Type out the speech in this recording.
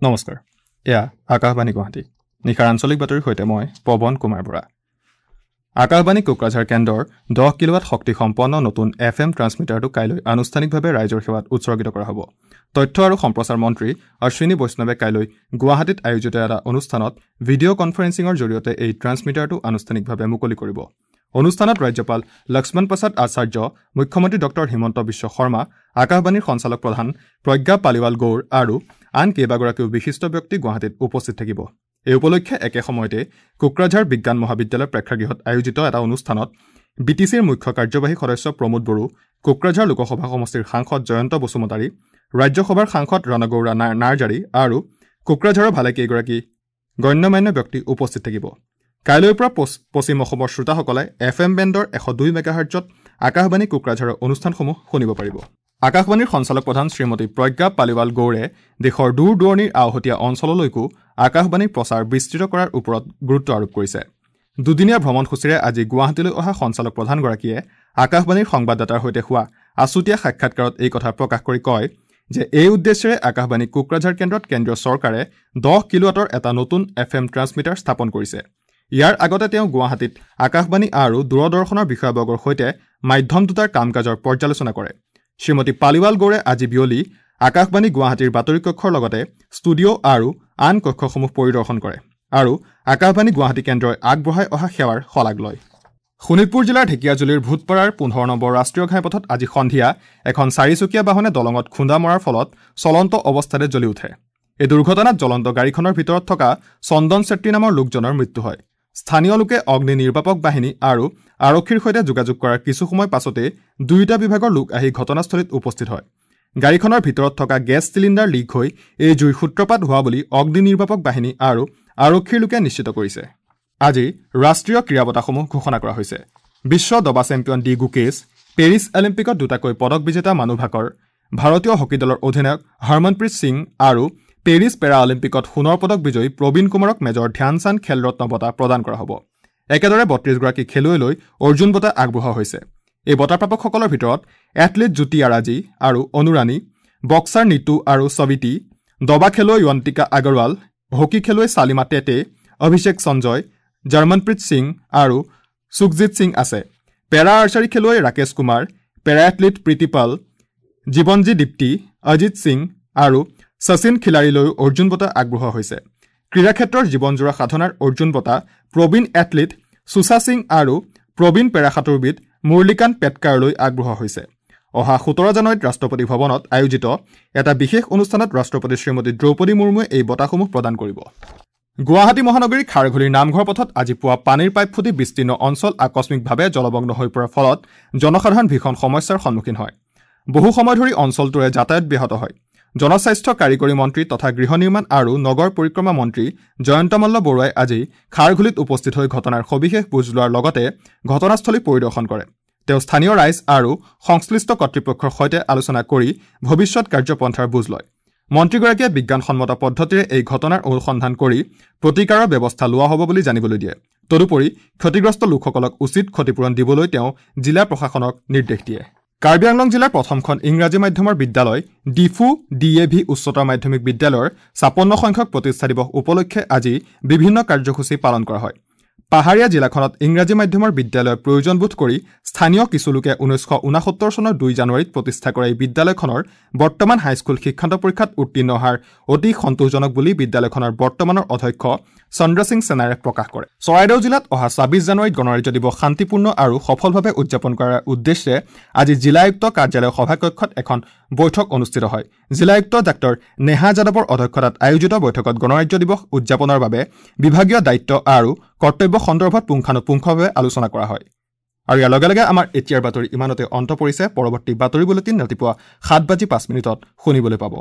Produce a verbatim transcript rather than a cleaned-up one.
নমস্কাৰ, এয়া আকাশবাণী গুৱাহাটী। নিশাৰ আঞ্চলিক বাতৰিৰ সৈতে মই পৱন কুমাৰ বৰা। আকাশবাণী কোকৰাঝাৰ কেন্দ্ৰৰ দহ কিলোৱাট শক্তিসম্পন্ন নতুন এফ এম ট্ৰান্সমিটাৰটো কাইলৈ আনুষ্ঠানিকভাৱে ৰাইজৰ সেৱাত উৎসৰ্গিত কৰা হ'ব। তথ্য আৰু সম্প্ৰচাৰ মন্ত্ৰী অশ্বিনী বৈষ্ণৱে কাইলৈ গুৱাহাটীত আয়োজিত এটা অনুষ্ঠানত ভিডিঅ' কনফাৰেন্সিঙৰ জৰিয়তে এই ট্ৰান্সমিটাৰটো আনুষ্ঠানিকভাৱে মুকলি কৰিব। অনুষ্ঠানত ৰাজ্যপাল লক্ষ্মণ প্ৰসাদ আচাৰ্য, মুখ্যমন্ত্ৰী ডক্টৰ হিমন্ত বিশ্ব শৰ্মা, আকাশবাণীৰ সঞ্চালক প্ৰধান প্ৰজ্ঞা পালিৱাল গৌৰ আৰু আন কেইবাগৰাকীও বিশিষ্ট ব্যক্তি গুৱাহাটীত উপস্থিত থাকিব। এই উপলক্ষে একে সময়তে কোকৰাঝাৰ বিজ্ঞান মহাবিদ্যালয় প্ৰেক্ষাগৃহত আয়োজিত এটা অনুষ্ঠানত বি টি চিৰ মুখ্য কাৰ্যবাহী সদস্য প্ৰমোদ বড়ো, কোকৰাঝাৰ লোকসভা সমষ্টিৰ সাংসদ জয়ন্ত বসুমতাৰী, ৰাজ্যসভাৰ সাংসদ ৰণগৌৰা নাৰ্জাৰী আৰু কোকৰাঝাৰৰ ভালেকেইগৰাকী গণ্যমান্য ব্যক্তি উপস্থিত থাকিব। কাইলৈৰ পৰা পশ্চিম অসমৰ শ্ৰোতাসকলে এফ এম বেণ্ডৰ এশ দুই মেগাহাৰ্টজত আকাশবাণী কোকৰাঝাৰৰ অনুষ্ঠানসমূহ শুনিব পাৰিব। আকাশবাণীৰ সঞ্চালক প্ৰধান শ্ৰীমতী প্ৰজ্ঞা পালিৱাল গৌৰে দেশৰ দূৰ দূৰণিৰ আওহতীয়া অঞ্চললৈকো আকাশবাণীৰ প্ৰচাৰ বিস্তৃত কৰাৰ ওপৰত গুৰুত্ব আৰোপ কৰিছে। দুদিনীয়া ভ্ৰমণসূচীৰে আজি গুৱাহাটীলৈ অহা সঞ্চালক প্ৰধানগৰাকীয়ে আকাশবাণীৰ সংবাদদাতাৰ সৈতে হোৱা আছুতীয়া সাক্ষাৎকাৰত এই কথা প্ৰকাশ কৰি কয় যে এই উদ্দেশ্যেৰে আকাশবাণী কোকৰাঝাৰ কেন্দ্ৰত কেন্দ্ৰীয় চৰকাৰে দহ কিলোৱাটৰ এটা নতুন এফ এম ট্ৰান্সমিটাৰ স্থাপন কৰিছে। ইয়াৰ আগতে তেওঁ গুৱাহাটীত আকাশবাণী আৰু দূৰদৰ্শনৰ বিষয়াবৰ্গৰ সৈতে মাধ্যম দুটাৰ কাম কাজৰ পৰ্যালোচনা কৰে। শ্ৰীমতী পালিৱাল গৌৰে আজি বিয়লি আকাশবাণী গুৱাহাটীৰ বাতৰি কক্ষৰ লগতে ষ্টুডিঅ' আৰু আন কক্ষসমূহ পৰিদৰ্শন কৰে আৰু আকাশবাণী গুৱাহাটী কেন্দ্ৰই আগবঢ়াই অহা সেৱাৰ শলাগ লয়। শোণিতপুৰ জিলাৰ ঢেকীয়াজুলিৰ ভূতপাৰাৰ পোন্ধৰ নম্বৰ ৰাষ্ট্ৰীয় ঘাইপথত আজি সন্ধিয়া এখন চাৰিচকীয়া বাহনে দলঙত খুন্দা মৰাৰ ফলত চলন্ত অৱস্থাতে জ্বলি উঠে। এই দুৰ্ঘটনাত জ্বলন্ত গাড়ীখনৰ ভিতৰত থকা চন্দন চেত্ৰী নামৰ লোকজনৰ মৃত্যু হয়। স্থানীয় লোকে অগ্নি নিৰ্বাপক বাহিনী আৰু আৰক্ষীৰ সৈতে যোগাযোগ কৰাৰ কিছু সময় পাছতে দুয়োটা বিভাগৰ লোক আহি ঘটনাস্থলীত উপস্থিত হয়। গাড়ীখনৰ ভিতৰত থকা গেছ চিলিণ্ডাৰ লিক হৈ এই জুইৰ সূত্ৰপাত হোৱা বুলি অগ্নি নিৰ্বাপক বাহিনী আৰু আৰক্ষীৰ লোকে নিশ্চিত কৰিছে। আজি ৰাষ্ট্ৰীয় ক্ৰীড়া বঁটাসমূহ ঘোষণা কৰা হৈছে। বিশ্ব দবা চেম্পিয়ন ডি গুকেশ, পেৰিছ অলিম্পিকত দুটাকৈ পদক বিজেতা মানু ভাকৰ, ভাৰতীয় হকী দলৰ অধিনায়ক হৰমনপ্ৰীত সিং আৰু পেৰিছ পেৰা অলিম্পিকত সোণৰ পদক বিজয়ী প্ৰবীণ কুমাৰক মেজৰ ধ্যানচান্দ খেলৰত্ন বঁটা প্ৰদান কৰা হ'ব। একেদৰে বত্ৰিছগৰাকী খেলুৱৈলৈ অৰ্জুন বঁটা আগবঢ়োৱা হৈছে। এই বঁটাপ্ৰাপকসকলৰ ভিতৰত এথলীট জ্যোতি আৰাজী আৰু অনুৰাণী, বক্সাৰ নিতু আৰু সবিতি, দবা খেলুৱৈ য়ন্তিকা আগৰৱাল, হকী খেলুৱৈ চালিমা টেটে, অভিষেক সঞ্জয়, জাৰ্মনপ্ৰীত সিং আৰু সুখজিৎ সিং আছে। পেৰা আৰ্চাৰী খেলুৱৈ ৰাকেশ কুমাৰ, পেৰা এথলীট প্ৰীতি পাল, জীৱনজী দীপ্তি, অজিত সিং আৰু শচীন খিলাৰীলৈও অৰ্জুন বঁটা আগবঢ়োৱা হৈছে। ক্ৰীড়াক্ষেত্ৰৰ জীৱনজোৰা সাধনাৰ অৰ্জুন বঁটা প্ৰবীণ এথলীট সুষা সিং আৰু প্ৰবীণ পেৰা সাঁতোৰবিদ মুৰলীকান্ত পেটকাৰলৈ আগবঢ়োৱা হৈছে। অহা সোতৰ জানুৱাৰীত ৰাষ্ট্ৰপতি ভৱনত আয়োজিত এটা বিশেষ অনুষ্ঠানত ৰাষ্ট্ৰপতি শ্ৰীমতী দ্ৰৌপদী মুৰ্মুৱে এই বঁটাসমূহ প্ৰদান কৰিব। গুৱাহাটী মহানগৰীৰ খাৰঘুলিৰ নামঘৰ পথত আজি পুৱা পানীৰ পাইপ ফুটি বিস্তীৰ্ণ অঞ্চল আকস্মিকভাৱে জলমগ্ন হৈ পৰাৰ ফলত জনসাধাৰণ ভীষণ সমস্যাৰ সন্মুখীন হয়। বহু সময় ধৰি অঞ্চলটোৰে যাতায়াত ব্যাহত হয়। জনস্বাস্থ্য কাৰিকৰী মন্ত্ৰী তথা গৃহ নিৰ্মাণ আৰু নগৰ পৰিক্ৰমা মন্ত্ৰী জয়ন্ত মল্ল বৰুৱাই আজি খাৰঘুলিত উপস্থিত হৈ ঘটনাৰ সবিশেষ বুজ লোৱাৰ লগতে ঘটনাস্থলী পৰিদৰ্শন কৰে। তেওঁ স্থানীয় ৰাইজ আৰু সংশ্লিষ্ট কৰ্তৃপক্ষৰ সৈতে আলোচনা কৰি ভৱিষ্যত কাৰ্যপন্থাৰ বুজ লয়। মন্ত্ৰীগৰাকীয়ে বিজ্ঞানসন্মত পদ্ধতিৰে এই ঘটনাৰ অনুসন্ধান কৰি প্ৰতিকাৰৰ ব্যৱস্থা লোৱা হ'ব বুলি জানিবলৈ দিয়ে। তদুপৰি ক্ষতিগ্ৰস্ত লোকসকলক উচিত ক্ষতিপূৰণ দিবলৈ তেওঁ জিলা প্ৰশাসনক নিৰ্দেশ দিয়ে। কাৰ্বি আংলং জিলাৰ প্ৰথমখন ইংৰাজী মাধ্যমৰ বিদ্যালয় ডিফু ডি এ ভি উচ্চতৰ মাধ্যমিক বিদ্যালয়ৰ ছাপন্ন সংখ্যক প্ৰতিষ্ঠা দিৱস উপলক্ষে আজি বিভিন্ন কাৰ্যসূচী পালন কৰা হয়। পাহাৰীয়া জিলাখনত ইংৰাজী মাধ্যমৰ বিদ্যালয়ৰ প্ৰয়োজনবোধ কৰি স্থানীয় কিছু লোকে ঊনৈছশ ঊনসত্তৰ চনৰ দুই জানুৱাৰীত প্ৰতিষ্ঠা কৰা এই বিদ্যালয়খনৰ বৰ্তমান হাইস্কুল শিক্ষান্ত পৰীক্ষাত উত্তীৰ্ণ হাৰ অতি সন্তোষজনক বুলি বিদ্যালয়খনৰ বৰ্তমানৰ অধ্যক্ষ চন্দ্ৰ সিং সেনাৰে প্ৰকাশ কৰে। চৰাইদেউ জিলাত অহা ছাব্বিছ জানুৱাৰীত গণৰাজ্য দিৱস শান্তিপূৰ্ণ আৰু সফলভাৱে উদযাপন কৰাৰ উদ্দেশ্যে আজি জিলা আয়ুক্ত কাৰ্যালয়ৰ সভাকক্ষত এখন বৈঠক অনুষ্ঠিত হয়। জিলা আয়ুক্ত ডাক্তৰ নেহা যাদৱৰ অধ্যক্ষতাত আয়োজিত বৈঠকত গণৰাজ্য দিৱস উদযাপনৰ বাবে বিভাগীয় দায়িত্ব আৰু কৰ্তব্য সন্দৰ্ভত পুংখানুপুংখভাৱে আলোচনা কৰা হয়। আৰু ইয়াৰ লগে লগে আমাৰ এতিয়াৰ বাতৰি ইমানতে অন্ত পৰিছে। পৰৱৰ্তী বাতৰি বুলেটিন ৰাতিপুৱা সাত বাজি পাঁচ মিনিটত শুনিবলৈ পাব।